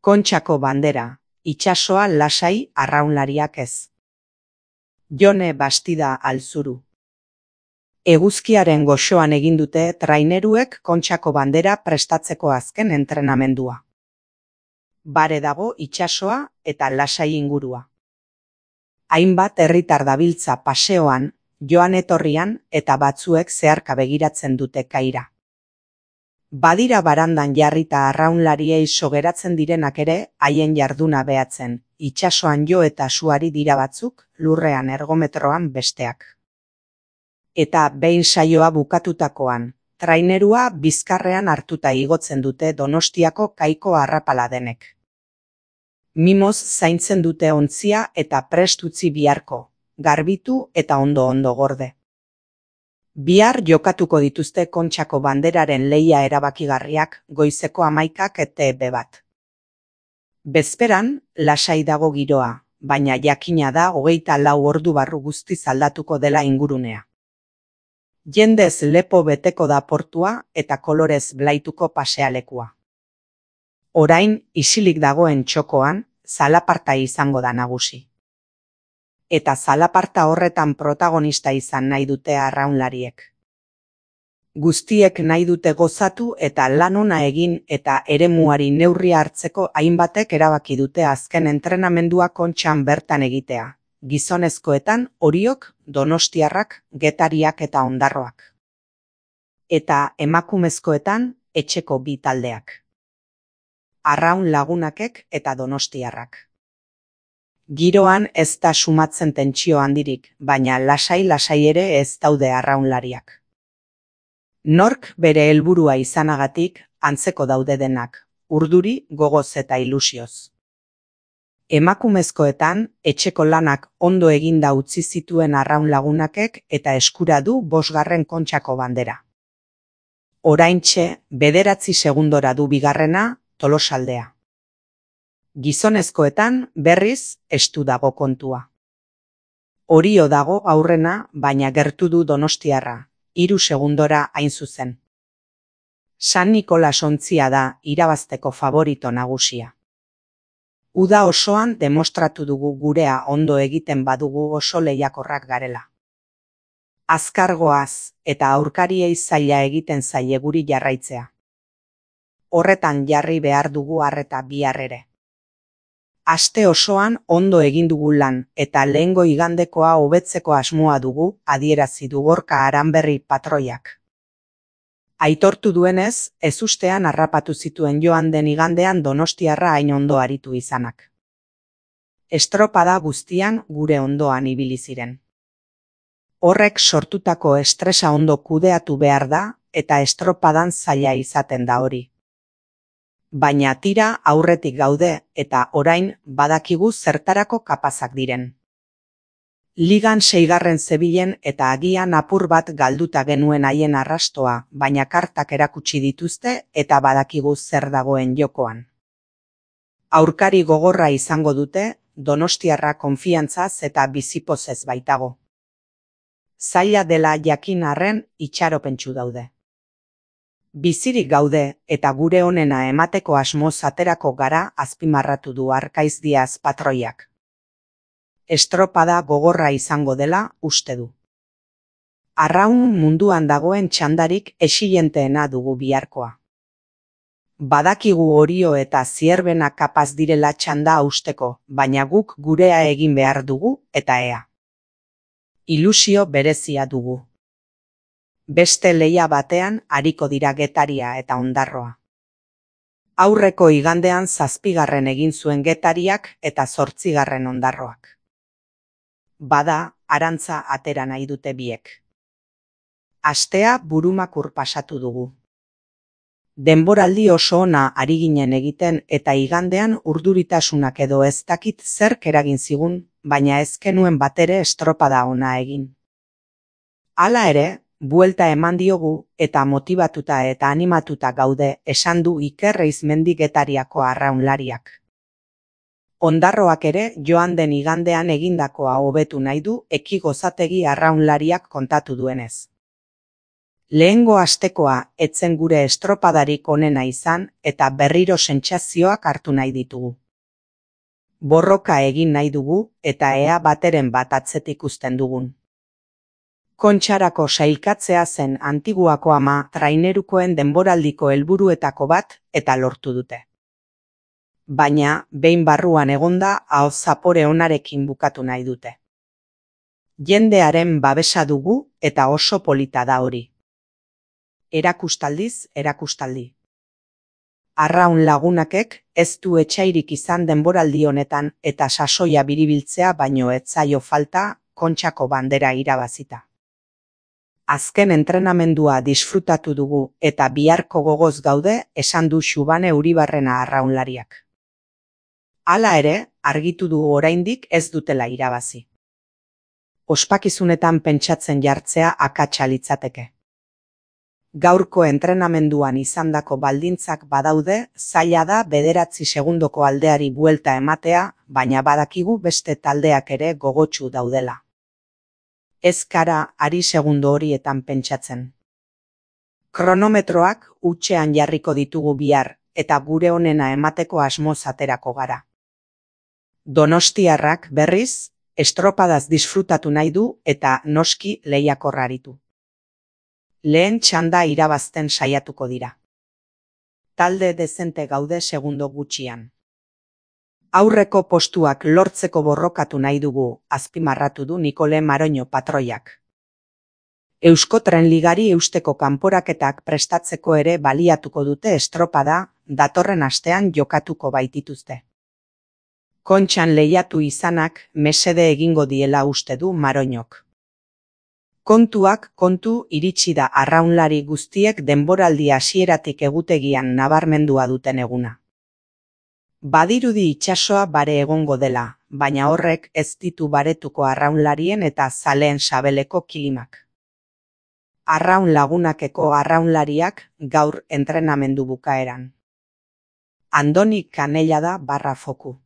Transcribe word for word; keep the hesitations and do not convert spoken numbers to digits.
Kontxako bandera, itsasoa lasai arraunlariak ez. Jone Bastida Alzuru. Eguzkiaren goxoan egin dute traineruek Kontxako bandera prestatzeko azken entrenamendua. Bare dago itsasoa eta lasai ingurua. Hainbat herritar dabiltza paseoan, joan etorrian eta batzuek zeharka begiratzen dute kaira. Badira barandan jarrita arraunlariei sogeratzen direnak ere haien jarduna behatzen, itsasoan jo eta suari dira batzuk, lurrean ergometroan besteak. Eta behin saioa bukatutakoan, trainerua bizkarrean hartuta igotzen dute Donostiako kaiko arrapala denek. Mimoz zaintzen dute ontzia eta prest utzi biharko, garbitu eta ondo-ondo gorde. Bihar jokatuko dituzte Kontxako banderaren lehia erabakigarriak goizeko hamaikak eta ebe bat. Bezperan, lasai dago giroa, baina jakina da hogeita lau ordu barru guztiz aldatuko dela ingurunea. Jendez lepo beteko da portua eta kolorez blaituko pasealekua. Orain, isilik dagoen txokoan, zalaparta izango da nagusi. Eta zalaparta horretan protagonista izan nahi dute arraunlariek. Guztiek nahi dute gozatu eta lan ona egin eta eremuari neurria hartzeko hainbatek erabaki dute azken entrenamendua Kontxan bertan egitea. Gizonezkoetan Oriok, Donostiarrak, Getariak eta Ondarroak. Eta emakumezkoetan etxeko bi taldeak. Arraun Lagunakek eta Donostiarrak. Giroan ez da sumatzen tentsio handirik, baina lasai-lasai ere ez daude arraunlariak. Nork bere helburua izanagatik antzeko daude denak, urduri, gogoz eta ilusioz. Emakumezkoetan etxeko lanak ondo eginda utzi zituen Arraun Lagunakek eta eskura du bosgarren Kontxako bandera. Oraintxe bederatzi segundora du bigarrena Tolosaldea. Gizonezkoetan berriz estu dago kontua. Orio dago aurrena, baina gertu du Donostiarra, hiru segundora hain zuzen. San Nikolas ontzia da irabazteko favorito nagusia. Uda osoan demostratu dugu gurea ondo egiten badugu oso lehiakorrak garela. Azkargoaz eta aurkariei zaila egiten zaie guri jarraitzea. Horretan jarri behar dugu arreta bihar ere. Aste osoan ondo egin dugu lan eta lehengo igandekoa hobetzeko asmoa dugu, adierazi du Gorka Aranberri patroiak. Aitortu duenez, ezustean harrapatu zituen joan den igandean Donostiarra hain ondo aritu izanak. Estropada guztian gure ondoan ibili ziren. Horrek sortutako estresa ondo kudeatu behar da eta estropadan zaila izaten da hori. Baina tira aurretik gaude eta orain badakigu zertarako kapazak diren. Ligan seigarren zebilen eta agian apur bat galduta genuen haien arrastoa, baina kartak erakutsi dituzte eta badakigu zer dagoen jokoan. Aurkari gogorra izango dute, Donostiarra konfiantzaz eta bizipozez baitago. Zaila dela jakin arren itxaropentsu daude. Bizirik gaude eta gure onena emateko asmoz aterako gara, azpimarratu du Arkaiz Diaz patroiak. Estropada gogorra izango dela uste du. Arraun munduan dagoen txandarik exilenteena dugu biharkoa. Badakigu Orio eta Zierbena kapaz direla txanda hausteko, baina guk gurea egin behar dugu eta ea. Ilusio berezia dugu. Beste lehia batean ariko dira Getaria eta Ondarroa. Aurreko igandean zazpigarren egin zuen Getariak eta zortzigarren Ondarroak. Bada, arantza atera nahi dute biek. Astea burumakur pasatu dugu. Denboraldi oso ona ari ginen egiten eta igandean urduritasunak edo ez dakit zerk eragin zigun, baina ez genuen batere estropada ona egin. Hala ere, buelta eman diogu eta motibatuta eta animatuta gaude, esan du Iker Eizmendi Getariako arraunlariak. Ondarroak ere joan den igandean egindakoa hobetu nahi du Eki Gozategi arraunlariak kontatu duenez. Lehengo astekoa etzen gure estropadarik onena izan eta berriro sentsazioak hartu nahi ditugu. Borroka egin nahi dugu eta ea bateren bat atzetik uzten dugun. Kontxarako sailkatzea zen Antiguako ama trainerukoen denboraldiko helburuetako bat eta lortu dute. Baina, behin barruan egonda ahoz zapore onarekin bukatu nahi dute. Jendearen babesa dugu eta oso polita da hori. Erakustaldiz, erakustaldi. Arraun lagunakek ez du etsairik izan denboraldi honetan eta sasoia biribiltzea baino ez zaio falta Kontxako bandera irabazita. Azken entrenamendua disfrutatu dugu eta biharko gogoz gaude esan du Xubane Uribarrena arraunlariak. Hala ere, argitu du oraindik ez dutela irabazi. Ospakizunetan pentsatzen jartzea akatsa litzateke. Gaurko entrenamenduan izandako baldintzak badaude, zaila da bederatzi segundoko aldeari buelta ematea, baina badakigu beste taldeak ere gogotsu daudela. Ez kara ari segundo horietan pentsatzen. Kronometroak hutsean jarriko ditugu bihar, eta gure onena emateko asmoz aterako gara. Donostiarrak berriz, estropadaz disfrutatu nahi du eta noski lehiakorraritu. Lehen txanda irabazten saiatuko dira. Talde dezente gaude segundo gutxian. Aurreko postuak lortzeko borrokatu nahi dugu, azpimarratu du Nikole Maroño patroiak. Euskotren Ligari eusteko kanporaketak prestatzeko ere baliatuko dute estropada, datorren astean jokatuko baitituzte. Kontxan lehiatu izanak mesede egingo diela uste du Maroñok. Kontuak kontu iritsi da arraunlari guztiek denboraldi hasieratik egutegian nabarmendua duten eguna. Badirudi itsasoa bare egongo dela, baina horrek ez ditu baretuko arraunlarien eta zaleen sabeleko kilimak. Arraun lagunakeko arraunlariak gaur entrenamendu bukaeran. Andoni Kanellada barra foku.